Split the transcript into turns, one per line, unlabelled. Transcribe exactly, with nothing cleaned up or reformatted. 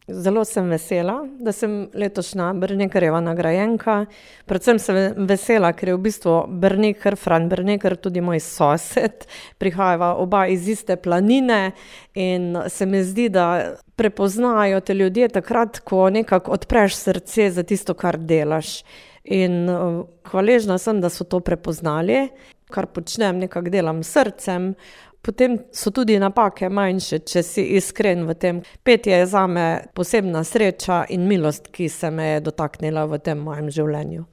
Zelo sem vesela, da sem letošnja Brnekerjeva nagrajenka. Predvsem sem vesela, ker je v bistvu Brneker, Fran Brneker, tudi moj sosed. Prihajava oba iz iste planine in se mi zdi, da prepoznajo te ljudje takrat, ko nekako odpreš srce za tisto, kar delaš. In hvaležna sem, da so to prepoznali, kar počnem, nekako delam s srcem. Potem so tudi napake manjše, če si iskren v tem. Petje je zame posebna sreča in milost, ki se me je dotaknila v tem mojem življenju.